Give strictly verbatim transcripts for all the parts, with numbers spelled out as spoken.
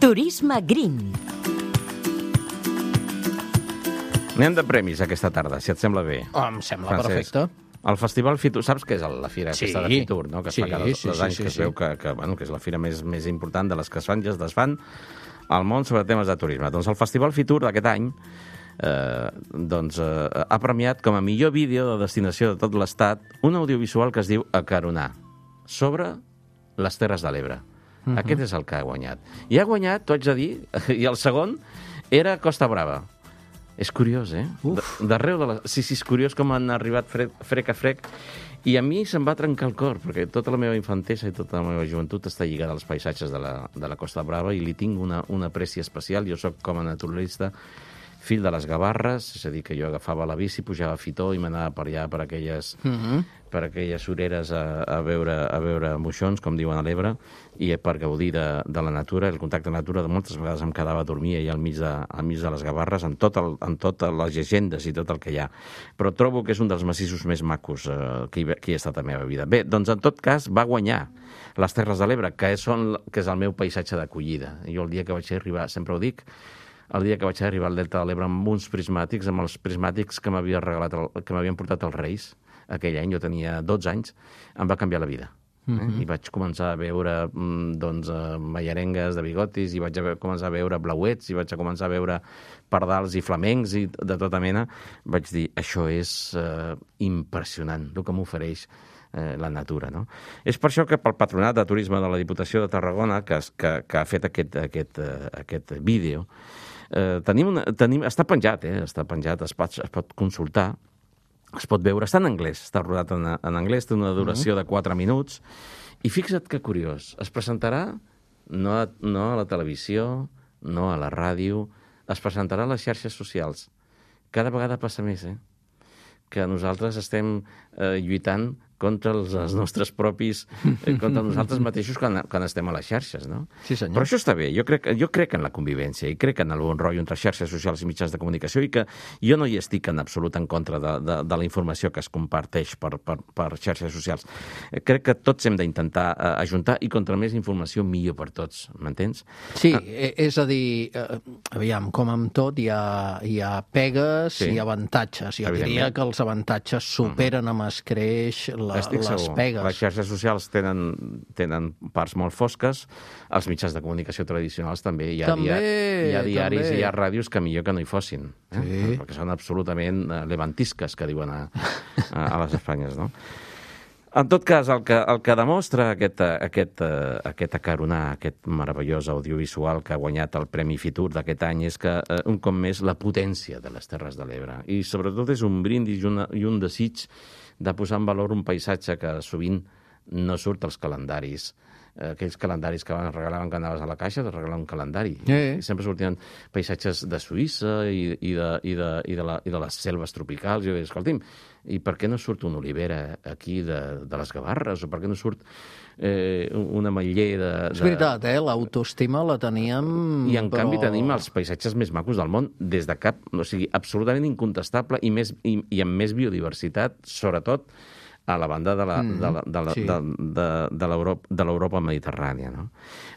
Turisme Green. Anem de premis aquesta tarda, si et sembla bé. Oh, em sembla Francesc. perfecte. El Festival Fitur, saps què és la fira Sí. aquesta de Fitur, no? Que es Sí, fa cada dos sí, sí, anys, sí, que es sí. veu que, que, bueno, que és la fira més, més important de les que es fan i es desfan al món sobre temes de turisme. Doncs el Festival Fitur d'aquest any eh, doncs, eh, ha premiat com a millor vídeo de destinació de tot l'estat un audiovisual que es diu Acaronar, sobre les Terres de l'Ebre. Uh-huh. Aquest és el que ha guanyat. I ha guanyat, t'ho haig de dir, i el segon era Costa Brava. És curiós, eh? Uf. D'arreu de la... Sí, sí, és curiós com han arribat frec, frec a frec. I a mi se'm va trencar el cor, perquè tota la meva infantesa i tota la meva joventut està lligada als paisatges de la, de la Costa Brava i li tinc una, una apreci especial. Jo sóc com a naturalista fill de les Gavarres, és a dir, que jo agafava la bici, pujava a Fitó i m'anava per allà, per aquelles, Mhm. per aquelles oreres a, a, veure, a veure moixons, com diuen a l'Ebre, i per gaudir de, de la natura, el contacte amb la natura. De moltes vegades em quedava a dormir allà al mig de, al mig de les Gavarres, amb, tot el, amb totes les llegendes i tot el que hi ha. Però trobo que és un dels massissos més macos eh, que, hi, que hi ha estat a la meva vida. Bé, doncs en tot cas va guanyar les Terres de l'Ebre, que, són, que és el meu paisatge d'acollida. Jo el dia que vaig arribar, sempre ho dic, el dia que vaig arribar al Delta de l'Ebre amb uns prismàtics, amb els prismàtics que m'havia regalat el, que m'havien portat els Reis aquell any, jo tenia dotze anys, em va canviar la vida. Eh? Uh-huh. I vaig començar a veure doncs, mallarengues de bigotis, i vaig a veure, començar a veure blauets, i vaig a començar a veure pardals i flamencs i de tota mena. Vaig dir, això és eh, impressionant, el que m'ofereix eh, la natura. No? És per això que pel Patronat de Turisme de la Diputació de Tarragona, que, que, que ha fet aquest, aquest, uh, aquest vídeo, eh, tenim una, tenim, està penjat, eh? està penjat, es pot, es pot consultar, es pot veure, està en anglès, està rodat en, en anglès, té una duració de quatre minuts, i fixa't que curiós, es presentarà no a, no a la televisió, no a la ràdio, es presentarà a les xarxes socials. Cada vegada passa més, eh? Que nosaltres estem eh, lluitant contra els, els nostres propis, eh, contra nosaltres mateixos quan, quan estem a les xarxes, no? Sí, senyor. Però això està bé, jo crec, jo crec en la convivència i crec en el bon rotllo entre xarxes socials i mitjans de comunicació, i que jo no hi estic en absolut en contra de, de, de la informació que es comparteix per, per, per xarxes socials. Eh, crec que tots hem d'intentar eh, ajuntar, i contra més informació millor per tots, m'entens? Sí, ah. és a dir, eh, aviam, com amb tot, hi ha, hi ha pegues Sí. i avantatges. Jo Evidentment. diria que els avantatges superen amb escreix la, Estic les segur. pegues. Les xarxes socials tenen, tenen parts molt fosques, els mitjans de comunicació tradicionals també. Hi ha, També, dia, hi ha diaris també. i hi ha ràdios que millor que no hi fossin, eh? Sí. Perquè són absolutament eh, levantisques, que diuen a, a, a les Espanyes, no? En tot cas, el que, el que demostra aquest, aquest, uh, aquest acaronar, aquest meravellós audiovisual que ha guanyat el Premi Fitur d'aquest any, és que, uh, un cop més, la potència de les Terres de l'Ebre. I sobretot és un brindis i, una, i un desig de posar en valor un paisatge que sovint no surt als calendaris. Eh, aquells calendaris que van regalaven que anaves a la caixa, de regalar un calendari. Eh. I sempre sortien paisatges de Suïssa i, i, de, i, de, i, de la, i de les selves tropicals. Jo deia, escolti'm, i per què no surt una olivera aquí de, de les Gavarres? O per què no surt eh, un ametller de, de... És veritat, eh? L'autoestima la teníem... I en però... canvi tenim els paisatges més macos del món, des de cap, o sigui, absolutament incontestable, i, més, i, i amb més biodiversitat, sobretot a la banda de la, Mm, de la, de la, sí. de, de, de l'Europa de l'Europa mediterrània. No?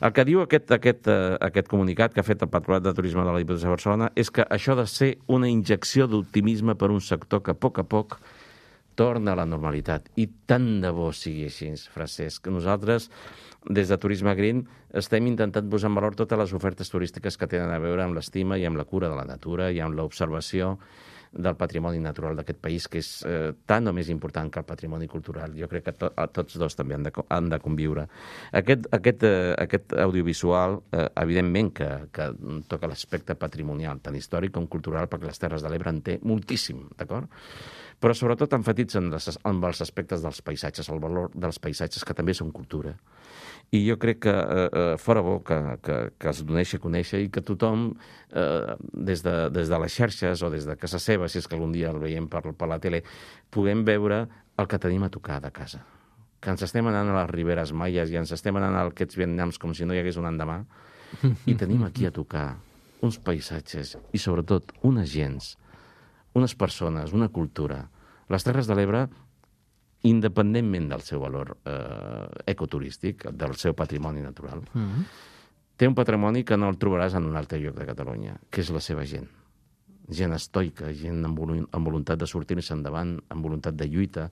El que diu aquest, aquest, eh, aquest comunicat que ha fet el Patronat de Turisme de la Diputació de Barcelona és que això ha de ser una injecció d'optimisme per un sector que a poc a poc torna a la normalitat. I tant de bo sigui així, Francesc. Nosaltres, des de Turisme Green, estem intentant posar en valor totes les ofertes turístiques que tenen a veure amb l'estima i amb la cura de la natura i amb l'observació del patrimoni natural d'aquest país, que és eh, tan o més important que el patrimoni cultural. Jo crec que to, tots dos també han de, han de conviure. Aquest, aquest, eh, aquest audiovisual, eh, evidentment que, que toca l'aspecte patrimonial, tant històric com cultural, perquè les Terres de l'Ebre en té moltíssim, d'acord? Però sobretot enfatitza en, les, en els aspectes dels paisatges, el valor dels paisatges, que també són cultura. I jo crec que eh, fora bo que, que, que es doneixi a conèixer i que tothom, eh, des, de, des de les xarxes o des de casa seva, si és que algun dia el veiem per, per la tele, puguem veure el que tenim a tocar de casa. Que ens estem anant a les Riberes Maies i ens estem anant a aquests Vietnams com si no hi hagués un endemà, i tenim aquí a tocar uns paisatges i, sobretot, unes gents, unes persones, una cultura. Les Terres de l'Ebre, independentment del seu valor eh, ecoturístic, del seu patrimoni natural, mm-hmm. té un patrimoni que no el trobaràs en un altre lloc de Catalunya, que és la seva gent. Gent estoica, gent amb, volu amb voluntat de sortir-se endavant, amb voluntat de lluita,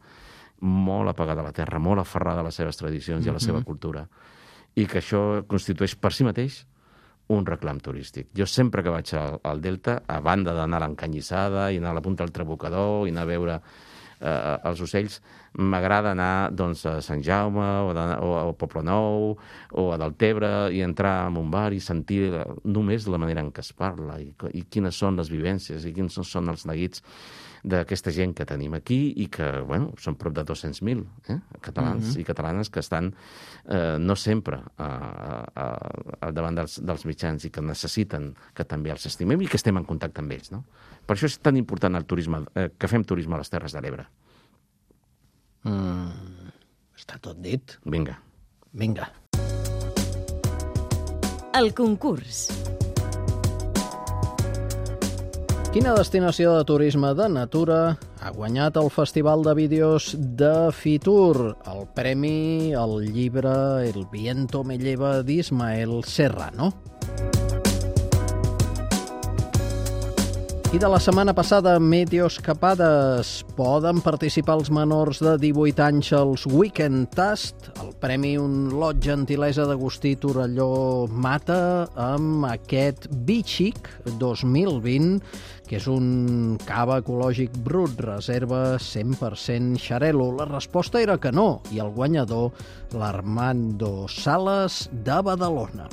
molt apegada a la terra, molt aferrada a les seves tradicions i a la seva cultura, i que això constitueix per si mateix un reclam turístic. Jo sempre que vaig al, al Delta, a banda d'anar a l'Encanyissada i anar a la punta del Trabucador i anar a veure eh, els ocells, m'agrada anar doncs, a Sant Jaume o, de, o a Poblenou o a Deltebre i entrar en un bar i sentir només la manera en què es parla i, i quines són les vivències i quins són els neguits d'aquesta gent que tenim aquí i que, bueno, són prop de dos-cents mil eh, catalans mm-hmm. i catalanes que estan eh, no sempre eh, eh, davant dels, dels mitjans i que necessiten que també els estimem i que estem en contacte amb ells, no? Per això és tan important el turisme, eh, que fem turisme a les Terres de l'Ebre. Mm, està tot dit. Vinga. Vinga. El concurs. Quina destinació de turisme de natura ha guanyat el Festival de Vídeos de Fitur? El premi al llibre El viento me lleva d'Ismael Serrano. I de la setmana passada, Meteoscapades. Poden participar els menors de divuit anys als Weekend Tast. El premi Un lot gentilesa d'Agustí Torelló Mata amb aquest Bichic dos mil vint, que és un cava ecològic brut, reserva cent per cent xarel·lo. La resposta era que no, i el guanyador, l'Armando Sales de Badalona.